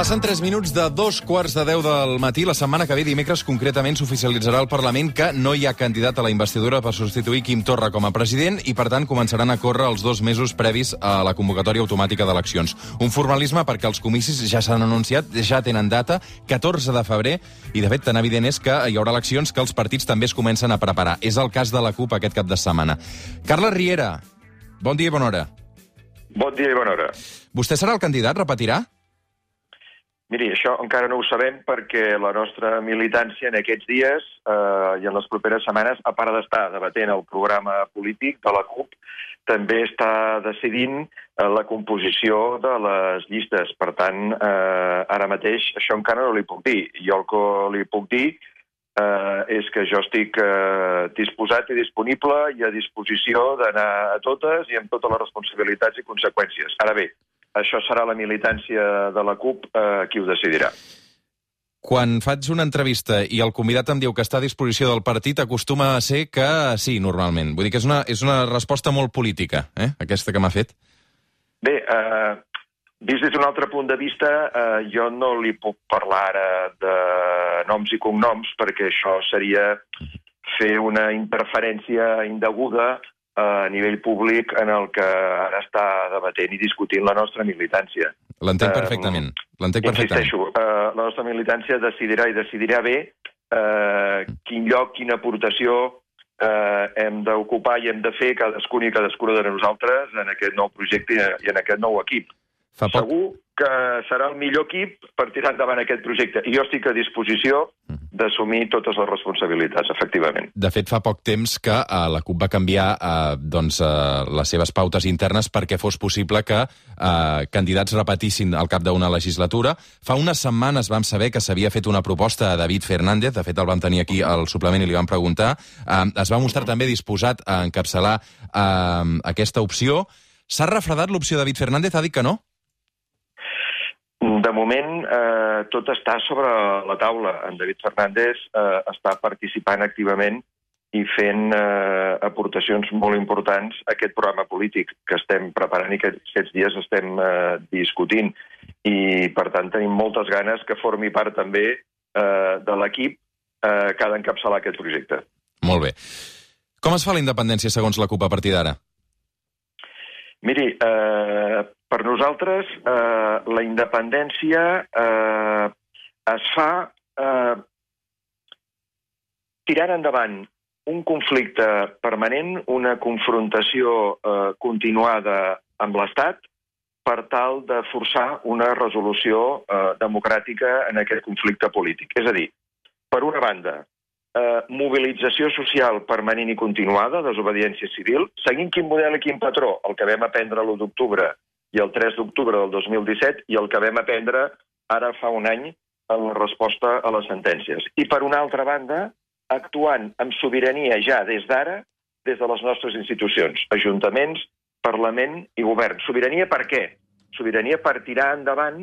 Passen 3 minuts de 2:15 del matí. La setmana que ve, dimecres, concretament, s'oficialitzarà al Parlament que no hi ha candidat a la investidura per substituir Quim Torra com a president i, per tant, començaran a córrer els 2 mesos previs a la convocatòria automàtica d'eleccions. Un formalisme perquè els comicis ja s'han anunciat, ja tenen data, 14 de febrer, i, de fet, tan evident és que hi haurà eleccions que els partits també es comencen a preparar. És el cas de la CUP aquest cap de setmana. Carles Riera, bon dia i bona hora. Bon dia i bona hora. Vostè serà el candidat? Repetirà? Miri, això encara no ho sabem perquè la nostra militància en aquests dies i en les properes setmanes, a part d'estar debatent el programa polític de la CUP, també està decidint la composició de les llistes. Per tant, ara mateix això encara no li puc dir. Jo el que li puc dir és que jo estic disposat i disponible i a disposició d'anar a totes i amb totes les responsabilitats i conseqüències. Ara bé, això serà la militància de la CUP qui ho decidirà. Quan faig una entrevista i el convidat em diu que està a disposició del partit, acostuma a ser que sí, normalment. Vull dir que és una resposta molt política, aquesta que m'ha fet. Bé, vist des d'un altre punt de vista, jo no li puc parlar ara de noms i cognoms, perquè això seria fer una interferència indeguda a nivell públic en el que ara està debatent i discutint la nostra militància. L'entenc perfectament. Insisteixo, la nostra militància decidirà i decidirà bé quin lloc, quina aportació hem d'ocupar i hem de fer cadascun i cadascuna de nosaltres en aquest nou projecte i en aquest nou equip. Segur que serà el millor equip per tirar endavant aquest projecte. I jo estic a disposició d'assumir totes les responsabilitats, efectivament. De fet, fa poc temps que la CUP va canviar les seves pautes internes perquè fos possible que candidats repetissin al cap d'una legislatura. Fa unes setmanes vam saber que s'havia fet una proposta a David Fernández, de fet el vam tenir aquí al suplement i li vam preguntar. Es va mostrar també disposat a encapçalar aquesta opció. S'ha refredat l'opció de David Fernández? Ha dit que no? De moment, tot està sobre la taula. En David Fernández està participant activament i fent aportacions molt importants a aquest programa polític que estem preparant i que aquests dies estem discutint. I, per tant, tenim moltes ganes que formi part també de l'equip que ha d'encapçalar aquest projecte. Molt bé. Com es fa la independència segons la CUP a partir d'ara? Miri, per nosaltres la independència es fa tirant endavant un conflicte permanent, una confrontació continuada amb l'Estat per tal de forçar una resolució democràtica en aquest conflicte polític. És a dir, per una banda, mobilització social permanent i continuada, desobediència civil, seguint quin model i quin patró, el que vam aprendre l'1 d'octubre i el 3 d'octubre del 2017 i el que vam aprendre ara fa un any en la resposta a les sentències. I per una altra banda, actuant amb sobirania ja des d'ara, des de les nostres institucions, ajuntaments, Parlament i Govern. Sobirania per què? Sobirania per tirar endavant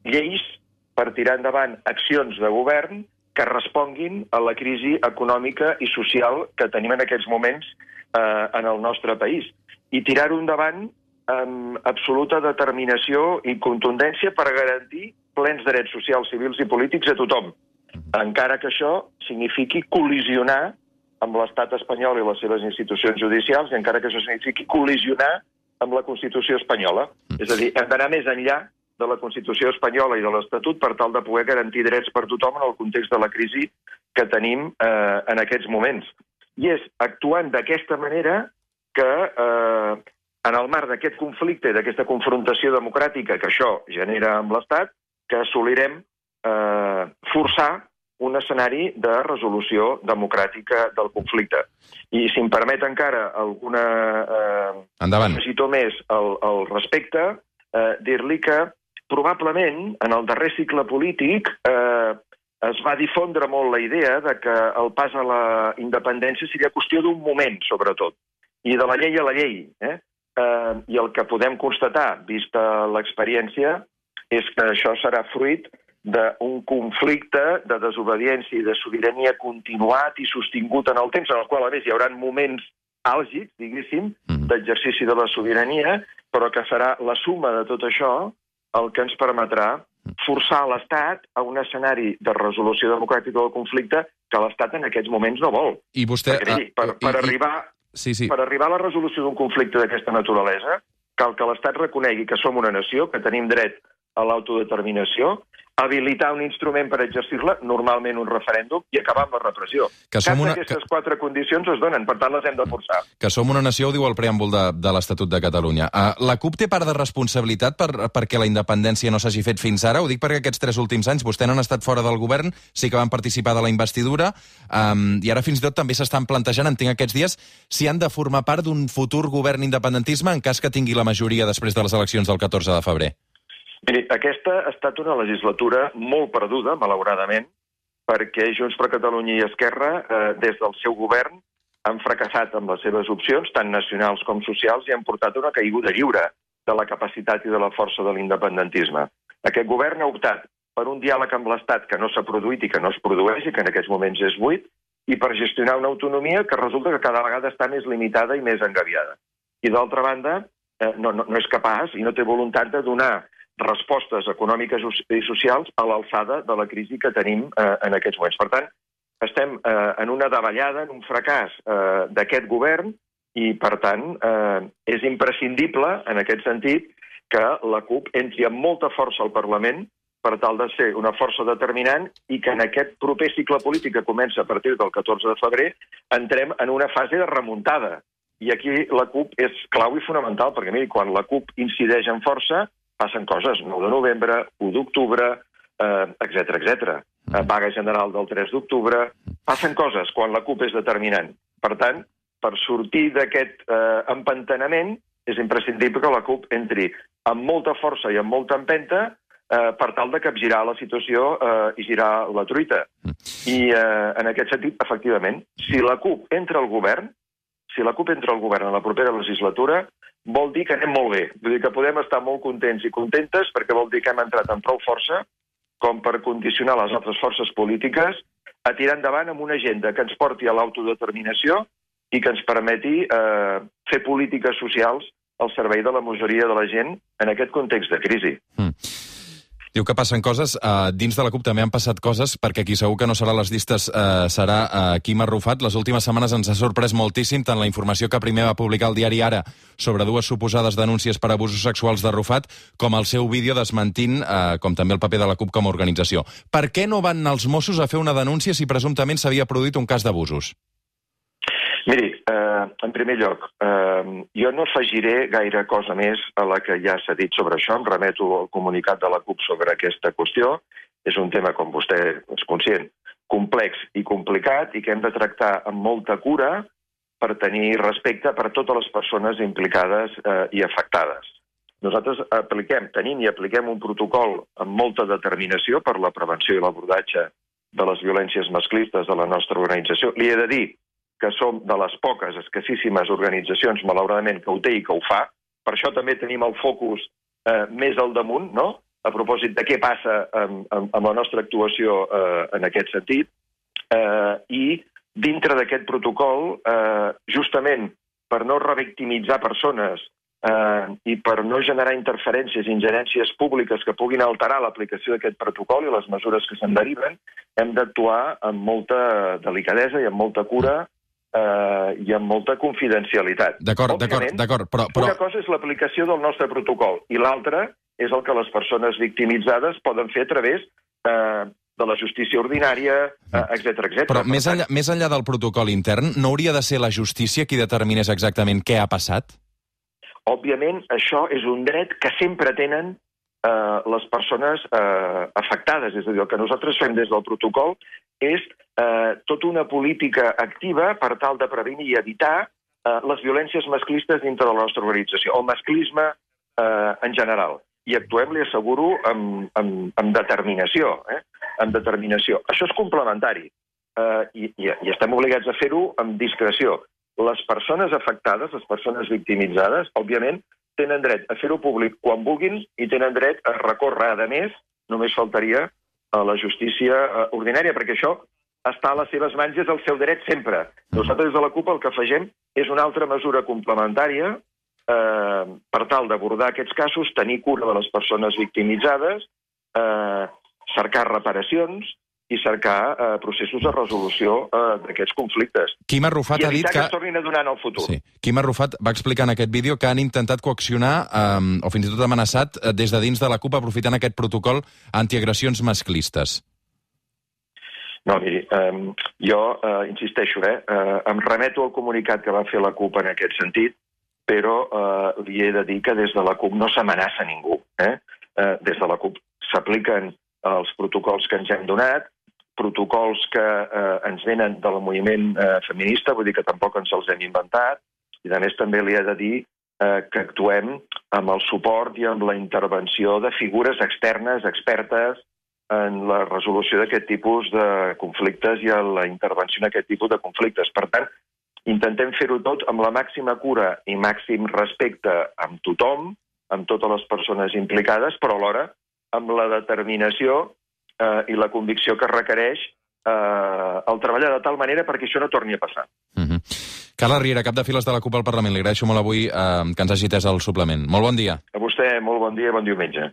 lleis, per tirar endavant accions de govern que responguin a la crisi econòmica i social que tenim en aquests moments en el nostre país. I tirar-ho endavant amb absoluta determinació i contundència per garantir plens drets socials, civils i polítics a tothom, encara que això signifiqui col·lisionar amb l'estat espanyol i les seves institucions judicials i encara que això signifiqui col·lisionar amb la Constitució espanyola. És a dir, hem d'anar més enllà de la Constitució espanyola i de l'Estatut per tal de poder garantir drets per tothom en el context de la crisi que tenim en aquests moments. I és actuant d'aquesta manera que en el marc d'aquest conflicte i d'aquesta confrontació democràtica que això genera amb l'Estat, que assolirem forçar un escenari de resolució democràtica del conflicte. I si em permet encara alguna afegitó més al respecte, dir-li que probablement en el darrer cicle polític es va difondre molt la idea de que el pas a la independència seria qüestió d'un moment, sobretot, i de la llei a la llei. I el que podem constatar, vista l'experiència, és que això serà fruit d'un conflicte de desobediència i de sobirania continuat i sostingut en el temps, en el qual, a més, hi haurà moments àlgids, diguéssim, d'exercici de la sobirania, però que serà la suma de tot això el que ens permetrà forçar l'Estat a un escenari de resolució democràtica del conflicte que l'Estat en aquests moments no vol. I vostè... Per arribar a la resolució d'un conflicte d'aquesta naturalesa, cal que l'Estat reconegui que som una nació, que tenim dret a l'autodeterminació, habilitar un instrument per exercir-la, normalment un referèndum, i acabar amb la repressió. Cap d'aquestes 4 condicions es donen, per tant les hem de forçar. Que som una nació, ho diu el preàmbul de l'Estatut de Catalunya. La CUP té part de responsabilitat perquè la independència no s'hagi fet fins ara? Ho dic perquè aquests 3 últims anys vostè no han estat fora del govern, sí que van participar de la investidura, i ara fins i tot també s'estan plantejant, entenc aquests dies, si han de formar part d'un futur govern independentisme en cas que tingui la majoria després de les eleccions del 14 de febrer. Miri, aquesta ha estat una legislatura molt perduda, malauradament, perquè Junts per Catalunya i Esquerra, des del seu govern, han fracassat amb les seves opcions, tant nacionals com socials, i han portat una caiguda lliure de la capacitat i de la força de l'independentisme. Aquest govern ha optat per un diàleg amb l'Estat que no s'ha produït i que no es produeix, i que en aquests moments és buit, i per gestionar una autonomia que resulta que cada vegada està més limitada i més engabiada. I d'altra banda, no és capaç i no té voluntat de donar respostes econòmiques i socials a l'alçada de la crisi que tenim en aquests moments. Per tant, estem en una davallada, en un fracàs d'aquest govern i, per tant, és imprescindible, en aquest sentit, que la CUP entri amb molta força al Parlament per tal de ser una força determinant i que en aquest proper cicle polític que comença a partir del 14 de febrer entrem en una fase de remuntada. I aquí la CUP és clau i fonamental, perquè, miri, quan la CUP incideix en força, passen coses, 9 de novembre, 1 d'octubre, etc. Vaga general del 3 d'octubre, passen coses quan la CUP és determinant. Per tant, per sortir d'aquest empantanament, és imprescindible que la CUP entri amb molta força i amb molta empenta per tal de capgirar la situació i girar la truita. I en aquest sentit, efectivament, si la CUP entra al govern, en la propera legislatura, vol dir que anem molt bé. Vull dir que podem estar molt contents i contentes perquè vol dir que hem entrat amb prou força com per condicionar les altres forces polítiques a tirar endavant amb una agenda que ens porti a l'autodeterminació i que ens permeti fer polítiques socials al servei de la majoria de la gent en aquest context de crisi. Diu que passen coses. Dins de la CUP també han passat coses, perquè qui segur que no serà a les llistes serà Quim Arrufat. Les últimes setmanes ens ha sorprès moltíssim tant la informació que primer va publicar el diari Ara sobre 2 suposades denúncies per abusos sexuals d'Arrufat, com el seu vídeo desmentint, com també el paper de la CUP com a organització. Per què no van anar els Mossos a fer una denúncia si presumptament s'havia produït un cas d'abusos? Miri, en primer lloc, jo no afegiré gaire cosa més a la que ja s'ha dit sobre això. Em remeto al comunicat de la CUP sobre aquesta qüestió. És un tema, com vostè és conscient, complex i complicat i que hem de tractar amb molta cura per tenir respecte per totes les persones implicades i afectades. Nosaltres tenim i apliquem un protocol amb molta determinació per la prevenció i l'abordatge de les violències masclistes de la nostra organització. Li he de dir que som de les poques, escassíssimes organitzacions, malauradament, que ho té i que ho fa. Per això també tenim el focus més al damunt, no?, a propòsit de què passa amb la nostra actuació en aquest sentit. I dintre d'aquest protocol, justament per no revictimitzar persones i per no generar interferències i ingerències públiques que puguin alterar l'aplicació d'aquest protocol i les mesures que se'n deriven, hem d'actuar amb molta delicadesa i amb molta cura i amb molta confidencialitat. D'acord, però... Una cosa és l'aplicació del nostre protocol i l'altra és el que les persones victimitzades poden fer a través de la justícia ordinària, etc. Però més enllà del protocol intern, no hauria de ser la justícia qui determinés exactament què ha passat? Òbviament, això és un dret que sempre tenen les persones afectades. És a dir, el que nosaltres fem des del protocol és tota una política activa per tal de prevenir i evitar les violències masclistes dintre de la nostra organització, el masclisme en general. I actuem, li asseguro, amb determinació. Amb determinació. Això és complementari i estem obligats a fer-ho amb discreció. Les persones afectades, les persones victimitzades, òbviament, tenen dret a fer-ho públic quan vulguin i tenen dret a recórrer, a més, només faltaria, a la justícia ordinària, perquè això està a les seves mans i és el seu dret sempre. Nosaltres des de la CUP el que afegim és una altra mesura complementària per tal d'abordar aquests casos, tenir cura de les persones victimitzades cercar reparacions i cercar processos de resolució d'aquests conflictes. Quim Arrufat ha dit que es tornin a donar en el futur. Sí. Quim Arrufat va explicar en aquest vídeo que han intentat coaccionar o fins i tot amenaçat des de dins de la CUP aprofitant aquest protocol antiagressions masclistes. No, miri, jo insisteixo, em remeto al comunicat que va fer la CUP en aquest sentit, però li he de dir que des de la CUP no s'amenaça ningú. Des de la CUP s'apliquen els protocols que ens hem donat, protocols que ens venen del moviment feminista, vull dir que tampoc ens els hem inventat, i a més també li he de dir que actuem amb el suport i amb la intervenció de figures externes, expertes, en la resolució d'aquest tipus de conflictes i en la intervenció en aquest tipus de conflictes. Per tant, intentem fer-ho tot amb la màxima cura i màxim respecte amb tothom, amb totes les persones implicades, però alhora amb la determinació i la convicció que requereix el treballar de tal manera perquè això no torni a passar. Carles Riera, cap de files de la CUP al Parlament. Li agraeixo molt avui que ens hagi atès el suplement. Molt bon dia. A vostè, molt bon dia i bon diumenge.